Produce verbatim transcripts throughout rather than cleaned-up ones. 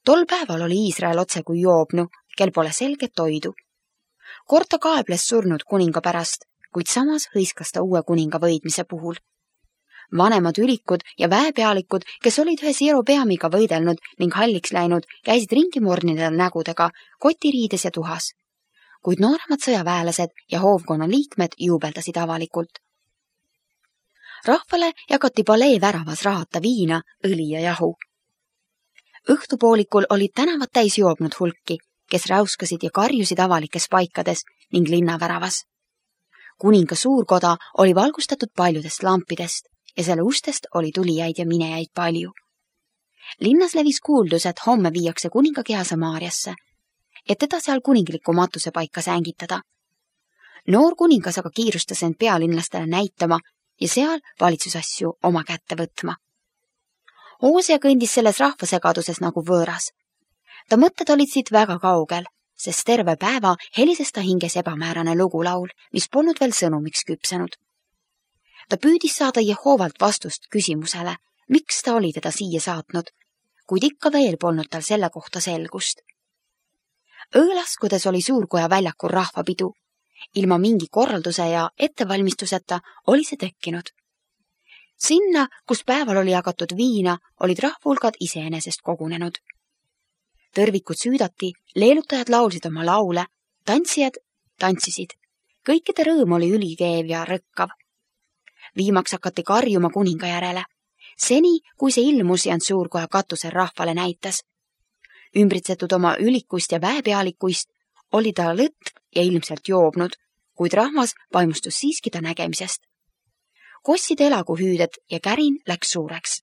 Tol päeval oli Iisrael otse kui joobnu, kel pole selget toidu. Kord ta kaebles surnud kuninga pärast, kuid samas hõiskas ta uue kuninga võidmise puhul. Vanemad ülikud ja väepealikud, kes olid ühe Jerobeamiga võidelnud ning halliks läinud, käisid ringi mornide nägudega, kotiriides ja tuhas. Kuid nooremad sõjaväelased ja hoovkonna liikmed juubeldasid avalikult. Rahvale jagati palee väravas rahata viina, õli ja jahu. Õhtupoolikul olid tänavad täis joobnud hulki, kes räuskasid ja karjusid avalikes paikades ning linnaväravas. Kuninga suurkoda oli valgustatud paljudest lampidest ja selle ustest oli tulijaid ja minejaid palju. Linnas levis kuuldus, et homme viiakse kuninga keha Samaariasse, et teda seal kuningliku matuse paika sängitada. Noor kuningas aga kiirustas end pealinlastele näitama ja seal valitsusasju oma kätte võtma. Hoosia kõndis selles rahvasegaduses nagu võõras. Ta mõtted olid siit väga kaugel, sest terve päeva helises ta hinges ebamäärane lugulaul, mis polnud veel sõnumiks küpsenud. Ta püüdis saada Jehovalt vastust küsimusele, miks ta oli teda siia saatnud, kuid ikka veel polnud tal selle kohta selgust. Õõlaskudes oli suurkoja väljakul rahvapidu. Ilma mingi korralduse ja ettevalmistuseta oli see tekkinud. Sinna, kus päeval oli jagatud viina, olid rahvulgad iseenesest kogunenud. Tõrvikud süüdati, leelutajad laulsid oma laule, tantsijad tantsisid. Kõikide rõõm oli ülikeev ja rõkkav. Viimaks hakati karjuma kuninga järele. Seni, kui see ilmus ja suurkoja katusel rahvale näitas. Ümbritsetud oma ülikust ja väepealikuist oli ta lõtv ja ilmselt joobnud, kuid rahvas vaimustus siiski ta nägemisest. Kosside elaguhüüded ja kärin läks suureks.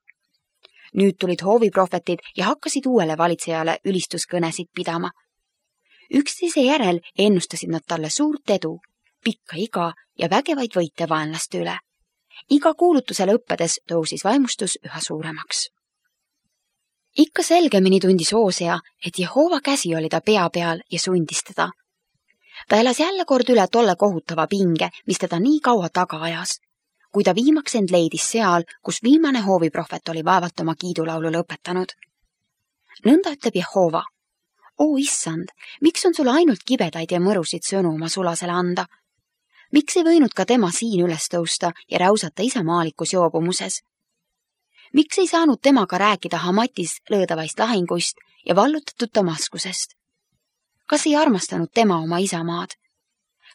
Nüüd tulid hooviprohvetid ja hakkasid uuele valitsejale ülistuskõnesid pidama. Üksteise järel ennustasid nad talle suurt edu, pikka iga ja vägevaid võite vaenlaste üle. Iga kuulutuse lõppedes tõusis vaimustus üha suuremaks. Ikka selgemini tundis Hoosia, et Jehova käsi oli ta pea peal ja sundis teda. Ta elas jälle kord üle tolle kohutava pinge, mis teda nii kaua taga ajas, kui ta viimaks end leidis seal, kus viimane hooviprohvet oli vaevalt oma kiidulaulu lõpetanud. Nõnda ütleb Jehova: "O issand, miks on sul ainult kibedaid ja mõrusid sõnu oma sulasele anda? Miks ei võinud ka tema siin üles tõusta ja räusata isamaalikus joobumuses? Miks ei saanud temaga rääkida Hamatis lõõdavaist lahinguist ja vallutatud Damaskusest? Kas ei armastanud tema oma isamaad?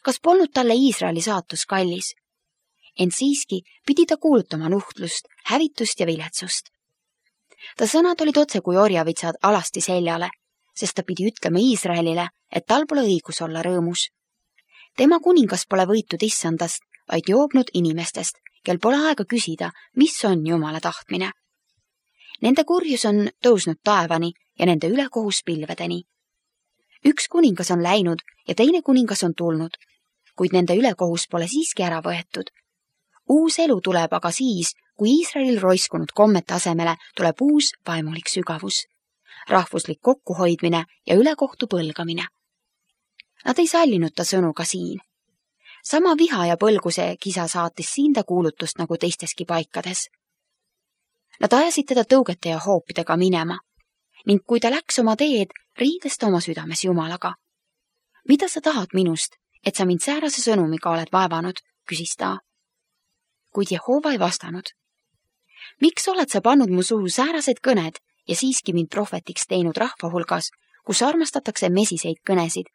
Kas polnud talle Iisraeli saatus kallis? Ent siiski pidi ta kuulutama nuhtlust, hävitust ja viletsust. Ta sõnad olid otse kui orjavitsad alasti seljale, sest ta pidi ütlema Iisraelile, et tal pole õigus olla rõõmus. Tema kuningas pole võitud issandast, vaid joobnud inimestest, kel pole aega küsida, mis on Jumala tahtmine. Nende kurjus on tõusnud taevani ja nende ülekohus pilvedeni. Üks kuningas on läinud ja teine kuningas on tulnud, kuid nende ülekohus pole siiski ära võetud. Uus elu tuleb aga siis, kui Iisraelil roiskunud kommete asemele tuleb uus vaimulik sügavus, rahvuslik kokkuhoidmine ja ülekohtu põlgamine. Nad ei sallinud ta sõnu ka siin. Sama viha ja põlguse kisa saatis siin ta kuulutust nagu teisteski paikades. Nad ajasid teda tõugete ja hoopidega minema ning kui ta läks oma teed, riides ta oma südames Jumalaga. Mida sa tahad minust, et sa mind säärase sõnumiga oled vaevanud, küsis ta. Kuid Jehova ei vastanud. Miks oled sa pannud mu suhu säärased kõned ja siiski mind prohvetiks teinud rahva hulgas, kus armastatakse mesiseid kõnesid,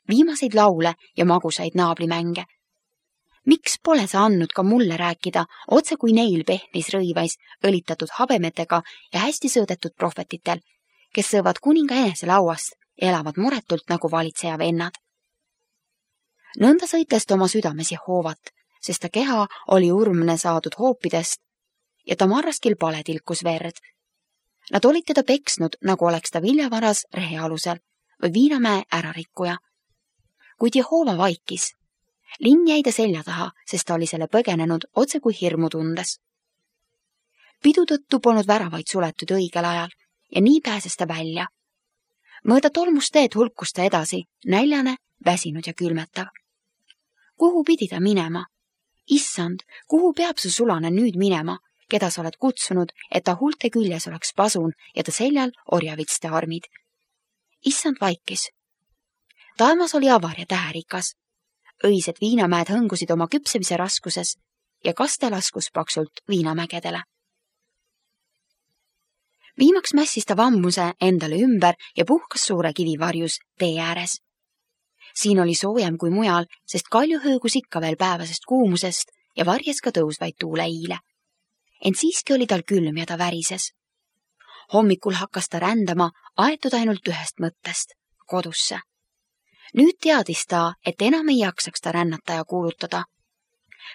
viimaseid laule ja magusaid naabrimänge? Miks pole sa andnud ka mulle rääkida, otse kui neil pehnis rõivais, õlitatud habemetega ja hästi sõõdetud prohvetitel, kes sõõvad kuninga enese lauast ja elavad muretult nagu valitseja vennad? Nõnda sõitles ta oma südames Jehovat, sest ta keha oli urmne saadud hoopidest ja ta marraskil pale tilkus verd. Nad olid teda peksnud, nagu oleks ta viljavaras rehe alusel või viinamäe ärarikkuja. Kuid Jehova vaikis. Linn jäi ta selja taha, sest ta oli selle põgenenud otse kui hirmu tundes. Pidu tõttu polnud väravaid suletud õigel ajal ja nii pääses ta välja. Mõõda tolmust teed hulkus ta edasi, näljane, väsinud ja külmetav. Kuhu pidi ta minema? Issand, kuhu peab su sulane nüüd minema, keda sa oled kutsunud, et ta huulte küljes oleks pasun ja ta seljal orjavitste armid? issand vaikis. Taemas oli avar ja täherikas. Õised viinamäed hõngusid oma küpsemise raskuses ja kaste laskus paksult viinamägedele. Viimaks mässis ta vammuse endale ümber ja puhkas suure kivivarjus tee ääres. Siin oli soojem kui mujal, sest kalju hõõgus ikka veel päevasest kuumusest ja varjes ka tõusvaid tuuleiile. Ent siiski oli tal külm ja ta värises. Hommikul hakkas ta rändama aetud ainult ühest mõttest, kodusse. Nüüd teadis ta, et enam ei jaksaks ta rännata ja kuulutada.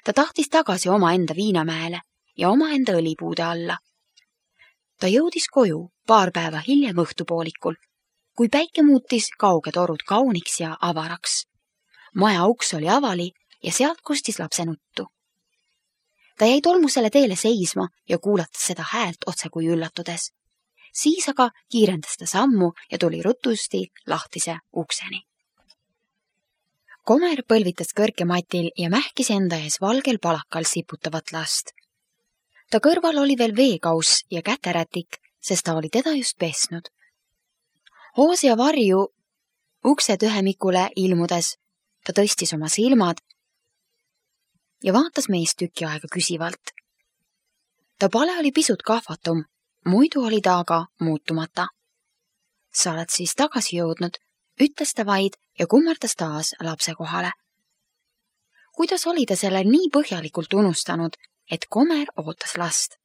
Ta tahtis tagasi oma enda viinamäele ja oma enda õlipuude alla. Ta jõudis koju paar päeva hiljem õhtupoolikul, kui päike muutis kauged orud kauniks ja avaraks. Maja uks oli avali ja sealt kostis lapse nuttu. Ta jäi tolmusele teele seisma ja kuulatas seda häält otse kui üllatudes. Siis aga kiirendas ta sammu ja tuli rutusti lahtise ukseni. Komer põlvitas kõrgematil ja mähkis enda ees valgel palakal siputavat last. Ta kõrval oli veel veekauss ja käterätik, sest ta oli teda just pesnud. Hoos ja varju ukse tühemikule ilmudes ta tõstis oma silmad ja vaatas meest tüki aega küsivalt. Ta pale oli pisut kahvatum, muidu oli ta aga muutumata. Sa oled siis tagasi jõudnud, ütles ta vaid ja kummardas taas lapse kohale. Kuidas oli ta selle nii põhjalikult unustanud, et Komer ootas last?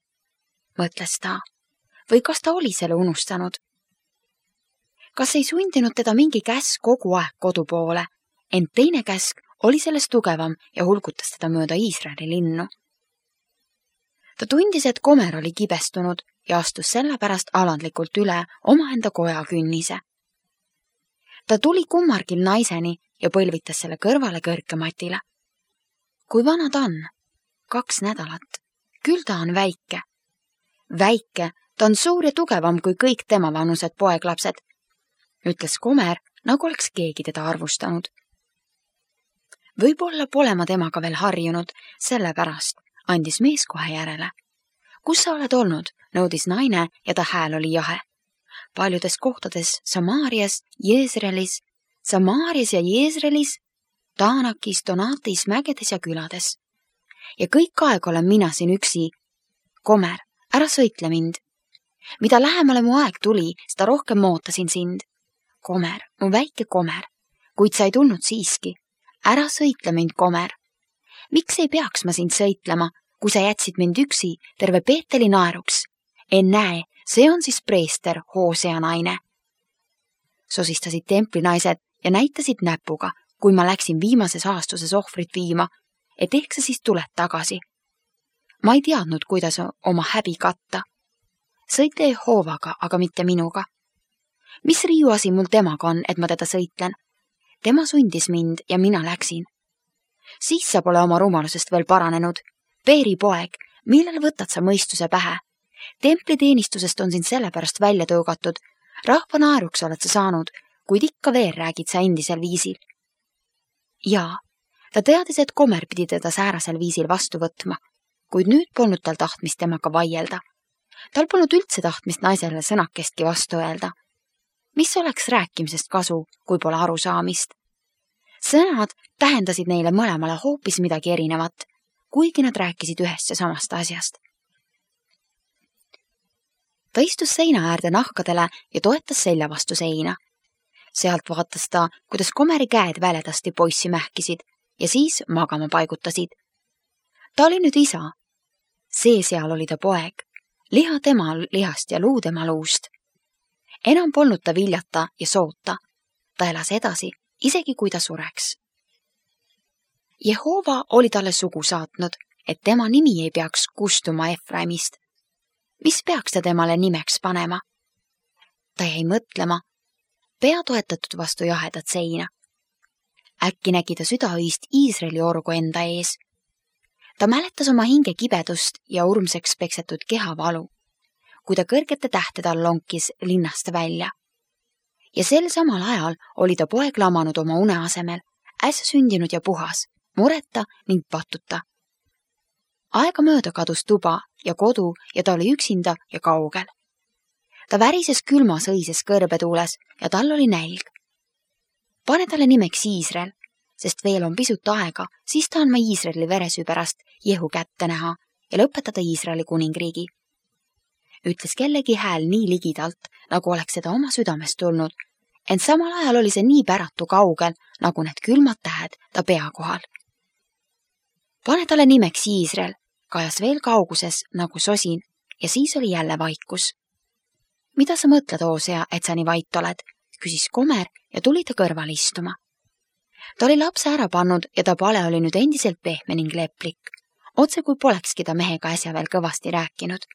Mõtles ta. Või kas ta oli selle unustanud? Kas ei sundinud teda mingi käsk kogu aeg kodu poole, ent teine käsk oli sellest tugevam ja hulgutas teda mööda Iisraeli linnu. Ta tundis, et Komer oli kibestunud ja astus sellepärast alandlikult üle omaenda koja künnise. Ta tuli kummargil naiseni ja põlvitas selle kõrvale kõrkematile. Kui vana ta on? Kaks nädalat. Küll ta on väike. Väike, ta on suur ja tugevam kui kõik tema vanused poeglapsed, ütles Komer, nagu oleks keegi teda arvustanud. Võib-olla pole ma temaga veel harjunud, sellepärast andis mees kohe järele. Kus sa oled olnud, nõudis naine ja ta hääl oli jahe. Paljudes kohtades Samaarias, Jeesrelis, Samaarias ja Jeesrelis, Taanakis, Donatis, mägedes ja külades. Ja kõik aeg olen mina siin üksi. Komer, ära sõitle mind. Mida lähemale mu aeg tuli, seda rohkem mootasin sind. Komer, mu väike Komer, kuid sa ei tulnud siiski. Ära sõitle mind, Komer. Miks ei peaks ma sind sõitlema, kui sa jätsid mind üksi terve Peeteli naeruks? En näe, see on siis preester, Hoosea naine. Sosistasid templinaised ja näitasid näpuga, kui ma läksin viimases aastuses ohvrit viima, et ehk sa siis tuled tagasi. Ma ei teadnud, kuidas oma häbi katta. Sõite Jehoovaga, aga mitte minuga. Mis riiuasi mul temaga on, et ma teda sõitlen? Tema sundis mind ja mina läksin. Siis sa pole oma rumalusest veel paranenud. Peeri poeg, millal võtad sa mõistuse pähe? Templiteenistusest on sind sellepärast välja tõugatud. Rahva naeruks oled sa saanud, kuid ikka veel räägid sa endisel viisil. Jaa, ta teadis, et Komer pidi teda säärasel viisil vastu võtma, kuid nüüd polnud tal tahtmist temaga vaielda. Tal polnud üldse tahtmist naisele sõnakestki vastu öelda. Mis oleks rääkimisest kasu, kui pole arusaamist? Sõnad tähendasid neile mõlemale hoopis midagi erinevat, kuigi nad rääkisid ühest ja samast asjast. Ta istus seina äärde nahkadele ja toetas selja vastu seina. Sealt vaatas ta, kuidas Komeri käed väledasti poissi mähkisid ja siis magama paigutasid. Ta oli nüüd isa. See seal oli ta poeg. Liha tema lihast ja luu tema luust. Enam polnud ta viljata ja soota. Ta elas edasi, isegi kui ta sureks. Jehova oli talle sugu saatnud, et tema nimi ei peaks kustuma Efraimist. Mis peaks ta temale nimeks panema? Ta jäi mõtlema, pea toetatud vastu jahedat seina. Äkki nägi ta südaöist Iisraeli orgu enda ees. Ta mäletas oma hinge kibedust ja urmseks peksetud kehavalu, kui ta kõrgete tähtede all lonkis linnast välja. Ja sel samal ajal oli ta poeg lamanud oma une asemel, äsja sündinud ja puhas, mureta ning patuta. Aega mööda kadus tuba ja kodu ja ta oli üksinda ja kaugel. Ta värises külmas õises kõrbetuules ja tal oli nälg. Pane talle nimeks Iisrael, sest veel on pisut aega, siis tahan ma Iisraeli veresüü pärast Jehu kätte näha ja lõpetada Iisraeli kuningriigi. Ütles kellegi hääl nii ligidalt, nagu oleks seda oma südamest tulnud, ent samal ajal oli see nii päratu kaugel, nagu need külmad tähed ta pea kohal. Pane talle nimeks Iisrael, kajas veel kauguses nagu sosin ja siis oli jälle vaikus. Mida sa mõtled, Hoosea, et sa nii vait oled? Küsis Komer ja tuli ta kõrval istuma. Ta oli lapse ära pannud ja ta pale oli nüüd endiselt pehme ning leplik, otse kui polekski ta mehega äsja veel kõvasti rääkinud.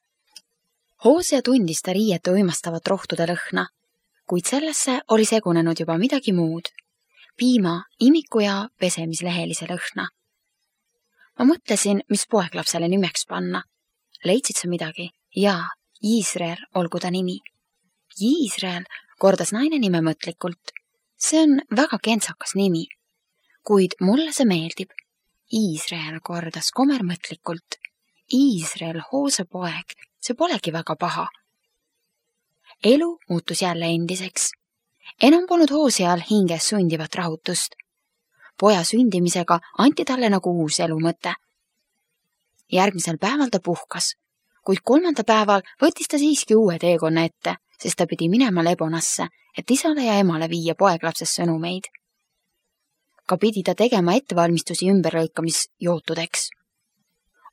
Hoosea tundis ta riiete uimastavat rohtude lõhna, kuid sellesse oli segunenud juba midagi muud, piima, imiku ja pesemislehelise lõhna. Ma mõtlesin, mis poeglapsele nimeks panna. Leidsid sa midagi? Jaa, Iisrael olgu ta nimi. Iisrael, kordas naine nime mõtlikult. See on väga kentsakas nimi, kuid mulle see meeldib. Iisrael, kordas Komer mõtlikult. Iisrael, Hoose poeg, see polegi väga paha. Elu muutus jälle endiseks. Enam polnud Hooseal hinges sundivat rahutust. Poja sündimisega anti talle nagu uus elumõte. Järgmisel päeval ta puhkas, kuid kolmanda päeval võttis ta siiski uue teekonna ette, sest ta pidi minema Lebonasse, et isale ja emale viia poeglapses sõnumeid. Ka pidi ta tegema ettevalmistusi ümberlõikamisjootudeks.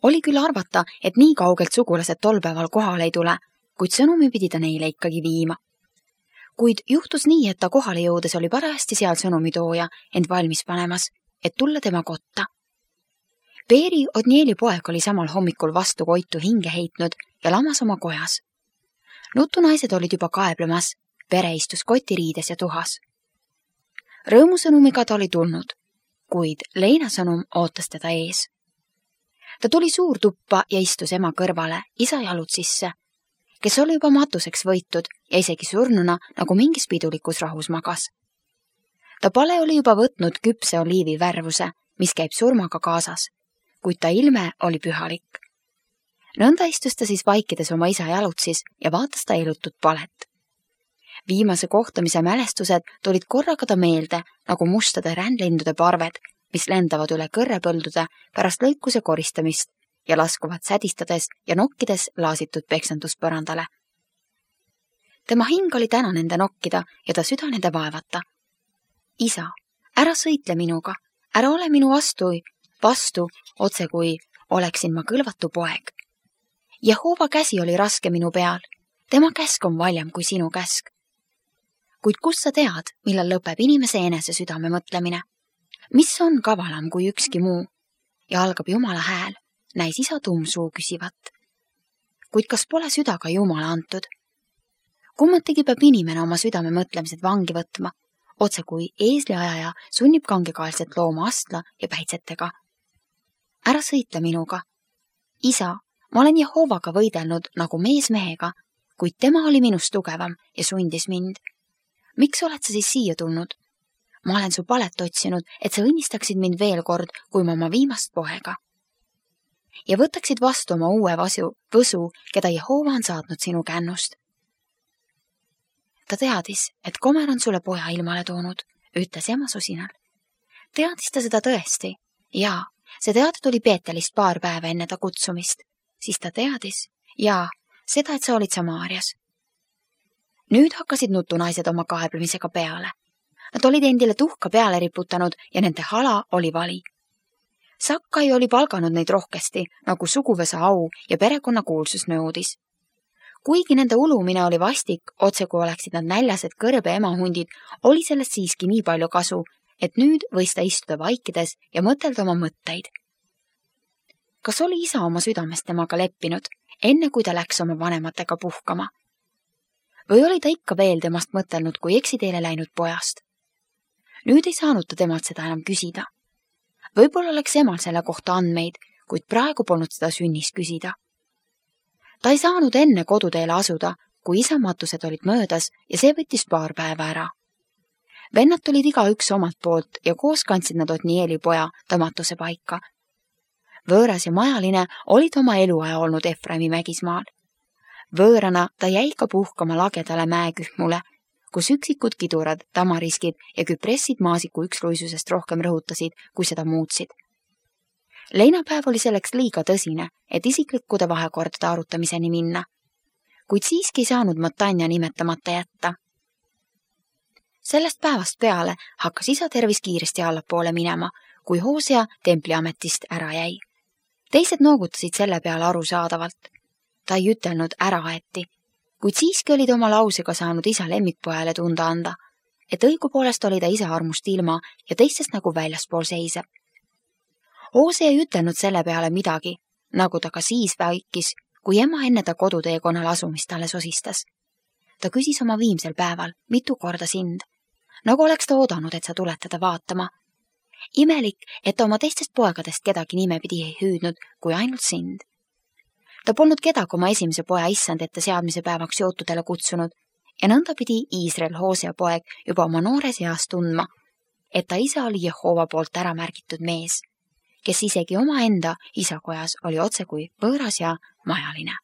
Oli küll arvata, et nii kaugelt sugulased tol päeval kohale ei tule, kuid sõnumi pidi ta neile ikkagi viima. Kuid juhtus nii, et ta kohale jõudes oli parajasti seal sõnumitooja end valmis panemas, et tulla tema kotta. Peeri Otnieli poeg oli samal hommikul vastu koitu hinge heitnud ja lamas oma kojas. Nutunaised olid juba kaeblemas, pere istus kotiriides ja tuhas. Rõõmusõnumiga ta oli tulnud, kuid leinasõnum ootas teda ees. Ta tuli suurtuppa ja istus ema kõrvale, isa jalud sisse, kes oli juba matuseks võitud ja isegi surnuna nagu mingis pidulikus rahus magas. Ta pale oli juba võtnud küpse oliivi värvuse, mis käib surmaga kaasas, kuid ta ilme oli pühalik. Nõnda istus ta siis vaikides oma isa jalutsis ja vaatas ta elutut palet. Viimase kohtamise mälestused tulid korraga ta meelde nagu mustade rändlindude parved, mis lendavad üle kõrrepõldude pärast lõikuse koristamist ja laskuvad sädistades ja nokkides laasitud peksanduspõrandale. Tema hing oli täna nende nokkida ja ta süda nende vaevata. Isa, ära sõitle minuga, ära ole minu vastu, vastu, otse kui oleksin ma kõlvatu poeg. Jehova käsi oli raske minu peal, tema käsk on valjam kui sinu käsk. Kuid kus sa tead, millal lõpeb inimese enese südame mõtlemine? Mis on kavalam kui ükski muu? Ja algab Jumala hääl. Näis isa tuumsuu küsivat. Kuid kas pole süda ka Jumala antud? Kummatigi peab inimene oma südame mõtlemised vangi võtma, otse kui eesliajaja sunnib kangekaelset looma astla ja päitsetega. Ära sõitle minuga. Isa, ma olen Jehovaga võidelnud nagu mees mehega, kuid tema oli minust tugevam ja sundis mind. Miks oled sa siis siia tulnud? Ma olen su palet otsinud, et sa õnnistaksid mind veel kord, kui ma oma viimast poega. Ja võtaksid vastu oma uue vasu, võsu, keda Jehova on saatnud sinu kännust. Ta teadis, et Komer on sulle poja ilmale toonud, ütles ema sosinal. Teadis ta seda tõesti? Jaa, see teada tuli Peetelist paar päeva enne ta kutsumist. Siis ta teadis? Jaa, seda, et sa olid Samaarias. Nüüd hakkasid nutunaised oma kaeblemisega peale. Nad olid endile tuhka peale riputanud ja nende hala oli vali. Sakkai oli palganud neid rohkesti, nagu suguvõsa au ja perekonna kuulsus nõudis. Kuigi nende ulumine oli vastik, otse kui oleksid nad näljased kõrbe emahundid, oli sellest siiski nii palju kasu, et nüüd võis ta istuda vaikides ja mõtelda oma mõtteid. Kas oli isa oma südamest temaga leppinud, enne kui ta läks oma vanematega puhkama? Või oli ta ikka veel temast mõtelnud, kui eksiteele läinud pojast? Nüüd ei saanud ta temalt seda enam küsida. Võib-olla oleks emal selle kohta andmeid, kuid praegu polnud seda sünnis küsida. Ta ei saanud enne koduteele asuda, kui isamatused olid möödas ja see võttis paar päeva ära. Vennad tulid iga üks omalt poolt ja koos kandsid nad Otnieli poja tamatuse paika. Võõras ja majaline olid oma eluaja olnud Efraimi mägismaal. Võõrana ta jäi ka puhkama lagedale mäekühmule, kus üksikud kidurad, tamariskid ja küpressid maasiku üksluisusest rohkem rõhutasid, kui seda muutsid. Leinapäev oli selleks liiga tõsine, et isiklikkude vahekordade arutamiseni minna, kuid siiski ei saanud Matanja nimetamata jätta. Sellest päevast peale hakkas isa tervis kiiresti allapoole minema, kui Hosea templiametist ära jäi. Teised noogutasid selle peale arusaadavalt. Ta ei ütelnud ära aeti, kuid siiski olid oma lausega saanud isa lemmikpojale tunda anda, et õigupoolest oli ta isa armust ilma ja teistest nagu väljaspool seiseb. Hosea ei ütelnud selle peale midagi, nagu ta ka siis vaikis, kui ema enne ta koduteekonnal asumist talle sosistas. Ta küsis oma viimsel päeval mitu korda sind, nagu oleks ta oodanud, et sa tuled teda vaatama. Imelik, et ta oma teistest poegadest kedagi nimepidi ei hüüdnud, kui ainult sind. Ta polnud kedagi oma esimese poja issand ette seadmise päevaks jootudele kutsunud ja nõnda pidi Iisrael Hosea poeg juba oma noores eas tundma, et ta isa oli Jehova poolt ära märgitud mees, kes isegi omaenda isakojas oli otse kui võõras ja majaline.